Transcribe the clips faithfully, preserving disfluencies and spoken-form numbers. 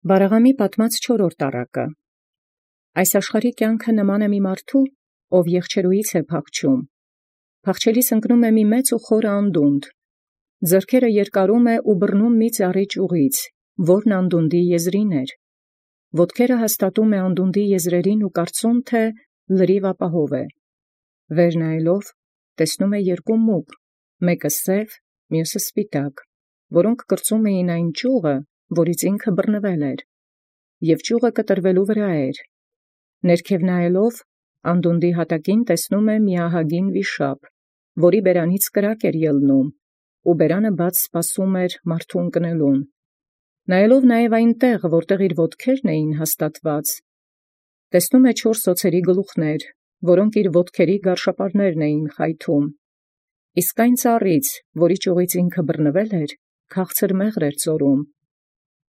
Բարաղամի պատմած չորրորդ առակը։ Այս աշխարհի կյանքը նման է մի մարդու, ով եղջերուից է փախչում։ Փախչելիս ընկնում է մի մեծ ու խոր անդունդ, ձեռքերը երկարում է ու բռնում մի ծառի ճյուղից, որն անդունդի եզրին էր։ Ոտքերը հաստատում է անդունդի եզրերին ու կարծում, թե լրիվ ապահով է։ Վեր նայելով տեսնում է երկու մուկ, մեկը սև, մյուսը սպիտակ, որոնք կրծում էին այն ճյուղը, որից ինքը բռնվել էր, և ճյուղը կտրվելու վրա էր։ Ներքև նայելով անդունդի հատակին տեսնում է մի ահագին վիշապ, որի բերանից կրակ էր ելնում, ու բերանը բաց սպասում էր մարդու ընկնելուն։ Նայելով նաև այն տեղ, որտեղ իր ոտքերն էին հաստատված, տեսնում է չորս օձերի գլուխներ, որոնք իր ոտքերի գարշապարներն էին խայթում։ Իսկ այն ծառից, որի ճյուղից ինքը բռնվել էր, քաղցր մեղր էր ծորում։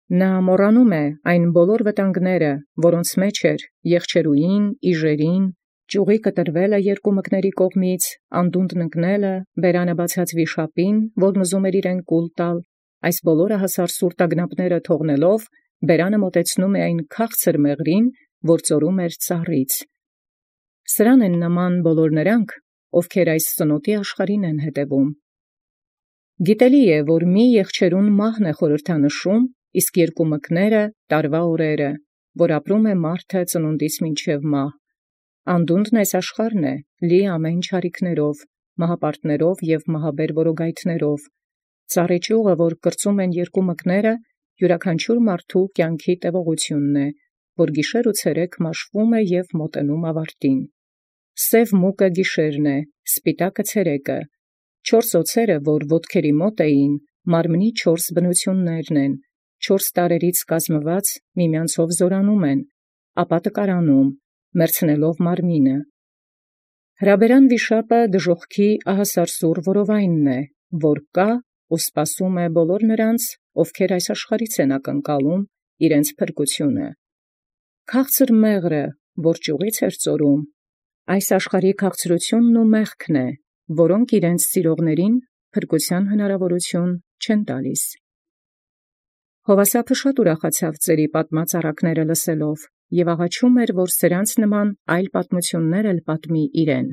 Նա մոռանում է այն բոլոր վտանգները, որոնց մեջ էր եղջերուին, իժերին, ճյուղի կտրվելը երկու մկների կողմից, անդունդն ընկնելը, բերանը բացած վիշապին, որն ուզում էր իրեն կուլ տալ, այս բոլորը հասար սուր տագնապները թողնելով, բերանը մոտեցնում է այն քաղցր մեղրին, որ ծորում էր ծառից։ Սրան են նման բոլոր նրանք, ովքեր այս ծնոտի աշխարհին են հետևում։ Գիտելի է, որ մի եղջերուն մահն է խորհրդանշում, իսկ երկու մկները տարվա օրերը, որ ապրում է մարդը ծնունդից մինչև մահ։ Անդունդն այս աշխարհն է, լի ամեն չարիքներով, մահապարտներով և մահաբեր որոգայթներով։ Ծառի ճյուղը, որ կրծում են երկու մկները, յուրաքանչյուր մարդու կյանքի տևողությունն է, որ գիշեր ու ցերեկ մաշվում է և մոտենում ավարտին։ Սև մուկը գիշերն է, սպիտակը ցերեկը։ Չորս օձերը, որ ոտքերի մոտ էին, մարմնի չորս բնություններն են, չորս տարրերից կազմված միմյանցով զորանում են, ապա տկարանում, մեռցնելով մարմինը։ Հրաբերան վիշապը դժոխքի ահասարսուռ որովայնն է, որ կա ու սպասում է բոլոր նրանց, ովքեր այս աշխարհից են ակնկալում իրենց փրկությունը։ Քաղցր մեղրը, որ ճյուղից էր ծորում, այս աշխարհի քաղցրությունն ու մեղքն է, որոնք իրենց սիրողներին փրկության հնարավորություն չեն տալիս։ Հովասափը շատ ուրախացավ ծերի պատմած առակները լսելով և աղաչում էր, որ սրանց նման այլ պատմություններ էլ պատմի իրեն։